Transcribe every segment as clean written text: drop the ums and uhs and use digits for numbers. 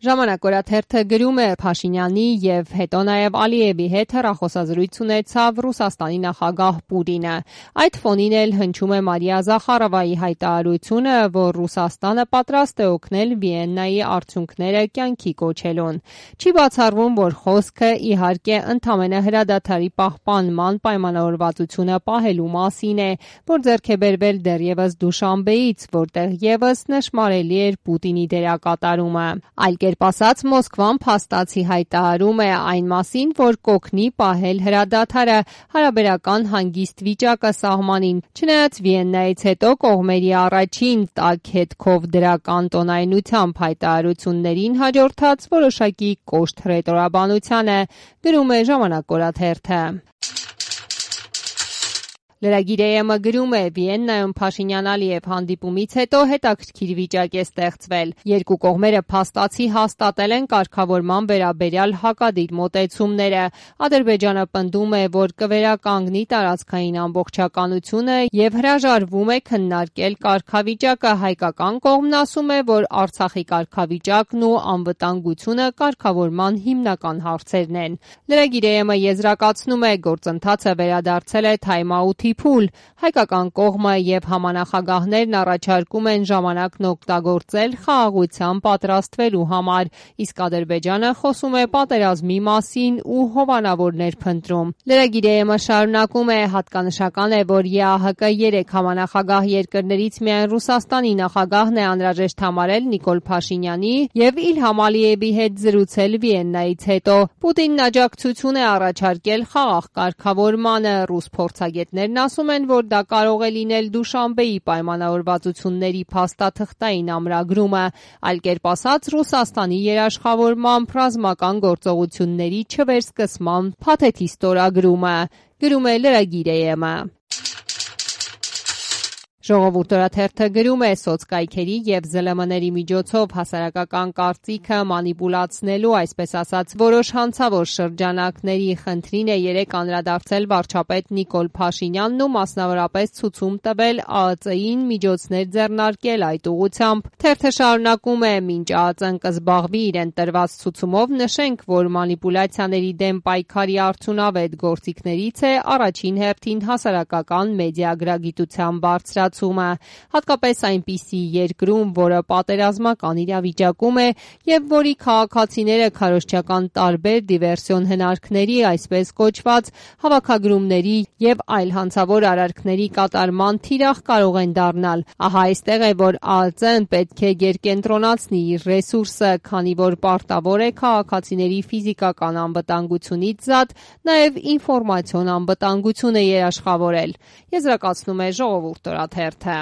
Ժամանակ օրաթերթը գրում է Փաշինյանի եւ հետո նաեւ Ալիևի հետ հեռախոսազրույց ունեցավ Ռուսաստանի նախագահ Պուտինը։ Այդ ֆոնին էլ հնչում է Մարիա Զախարովայի հայտարարությունը, որ Ռուսաստանը պատրաստ է օգնել Վիեննայի արդյունքները կյանքի կոչելուն։ Չի բացառվում, որ խոսքը իհարկե ընդամենը հրադադարի պահպանման պայմանավորվածությունը պահելու մասին է, որ ձեռք է բերվել դեռևս Դուշանբեից, որտեղ եւս նշմարելի էր Պուտինի դերակատարումը։ Այլ կերպ ասած, Մոսկվան փաստացի հայտարարում է այն մասին, որ կօգնի պահել հրադադարը, հարաբերական հանգիստ վիճակը սահմանին, չնայած Վիեննայից հետո կողմերի առաջին տաք հետքով դրական տոնայնությամբ հայտարարություններին հաջորդած որոշակի կոշտ հռետորաբանությանը, գրում է Ժամանակ օրաթերթը։ Լրագիր-ը գրում է. Վիեննայում Փաշինյան-Ալիև հանդիպումից հետո հետաքրքիր վիճակ է ստեղծվել։ Երկու կողմերը փաստացի հաստատել են կարգավորման վերաբերյալ հակադիր մոտեցումները։ Ադրբեջանը պնդում է, որ կվերականգնի տարածքային ամբողջականությունը եւ հրաժարվում է քննարկել կարգավիճակը։ Հայկական կողմն ասում է, որ Արցախի կարգավիճակն ու անվտանգությունը կարգավորման հիմնական հարցերն են։ Լրագիր-ը եզրակացնում է, գործընթացը վերադարձել է թայմ-աութի փուլ։ Հայկական կողմը եւ համանախագահներն առաջարկում են ժամանակն օգտագործել խաղաղության պատրաստվելու համար, իսկ Ադրբեջանը խոսում է պատերազմի մասին ու հովանավորներ փնտրում։ Լրագիր-ը շարունակում է. հատկանշական է, որ ԵԱՀԿ 3 համանախագահ երկրներից միայն Ռուսաստանի նախագահն է անհրաժեշտ համարել Նիկոլ Փաշինյանի եւ Իլհամ Ալիևի հետ զրուցել Վիեննայից հետո։ Պուտինն աջակցություն է առաջարկել խաղաղ կարգավորմանը։ Ռուս փորձագետներն ասում են, որ դա կարող է լինել Դուշանբեի պայմանավորվածությունների փաստաթղթային ամրագրումը, այլ կերպ ասած Ռուսաստանի երաշխավորմամբ ռազմական գործողությունների չվերսկսման փաթեթի ստորագրումը, գրում է լրագիր-ը։ Ժողովուրդ օրաթերթը գրում է. սոցկայքերի եւ ԶԼՄ-ների միջոցով հասարակական կարծիքը մանիպուլացնելու, այսպես ասած, որոշ հանցավոր շրջանակների խնդրին է երեկ անդրադարձել վարչապետ Նիկոլ Փաշինյանն ու մասնավորապես ցուցում տվել ԱԱԾ-ին միջոցներ ձեռնարկել այդ ուղղությամբ։ Թերթը շարունակում է. մինչ ԱԱԾ-ն կզբաղվի իրեն տրված ցուցումով, նշենք, որ մանիպուլյացիաների դեմ պայքարի արդյունավետ գործիքներից է առաջին հերթին հասարակական մեդիագրագիտության բարձրացումը, հատկապես այնպիսի երկրում, որը պատերազմական իրավիճակում է եւ որի քաղաքացիները քարոզչական տարբեր դիվերսիոն հնարքների, այսպես կոչված հավաքագրումների եւ այլ հանցավոր արարքների կատարման թիրախ կարող են դառնալ։ Ահա այստեղ է, որ ԱԱԾ-ն պետք է գերկենտրոնացնի իր ռեսուրսը, քանի որ պարտավոր է քաղաքացիների ֆիզիկական անվտանգությունից զատ նաեւ ինֆորմացիոն անվտանգությունը երաշխավորել, եզրակացնում է Ժողովուրդ օրաթերթը։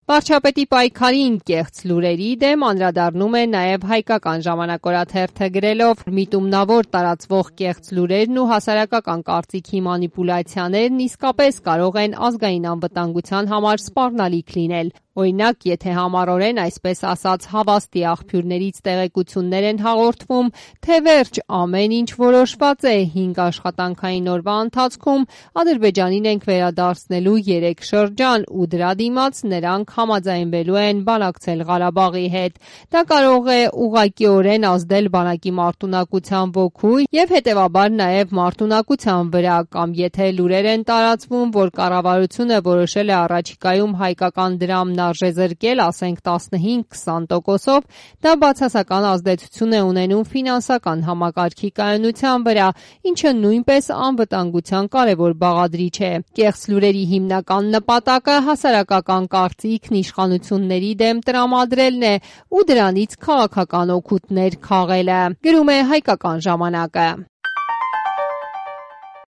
Վարչապետի պայքարին կեղծ լուրերի դեմ անդրադառնում է նաև Հայկական ժամանակ օրաթերթը գրելով. միտումնավոր տարածվող կեղծ լուրերն ու հասարակական կարծիքի մանիպուլյացիաներն իսկապես կարող են ազգային անվտանգության համար սպառնալիք լինել։ Օրինակ, եթե համառորեն, այսպես ասած, հավաստի աղբյուրներից տեղեկություններ են հաղորդվում, թե վերջ ամեն ինչ որոշված է 5 աշխատանքային օրվա ընթացքում, Ադրբեջանին ենք վերադարձնելու 3 շրջան ու դրա դիմաց նրանք համաձայնվելու են բանակցել Ղարաբաղի հետ։ Դա կարող է ուղղակիորեն ազդել բանակի մարտունակության ոգու եւ հետեւաբար նաեւ մարտունակության վրա, կամ եթե լուրեր են տարածվում, որ կառավարությունը որոշել է առաջիկայում հայկական դրամն արժեզրկել, ասենք 15-20%-ով, դա բացասական ազդեցություն է ունենում ֆինանսական համակարգի կայունության վրա, ինչը նույնպես անվտանգության կարևոր բաղադրիչ է։ Կեղծ լուրերի հիմնական նպատակը հասարակական կարծիքն իշխանությունների դեմ տրամադրելն է ու դրանից քաղաքական օգուտներ քաղելը, գրում է Հայկական ժամանակը։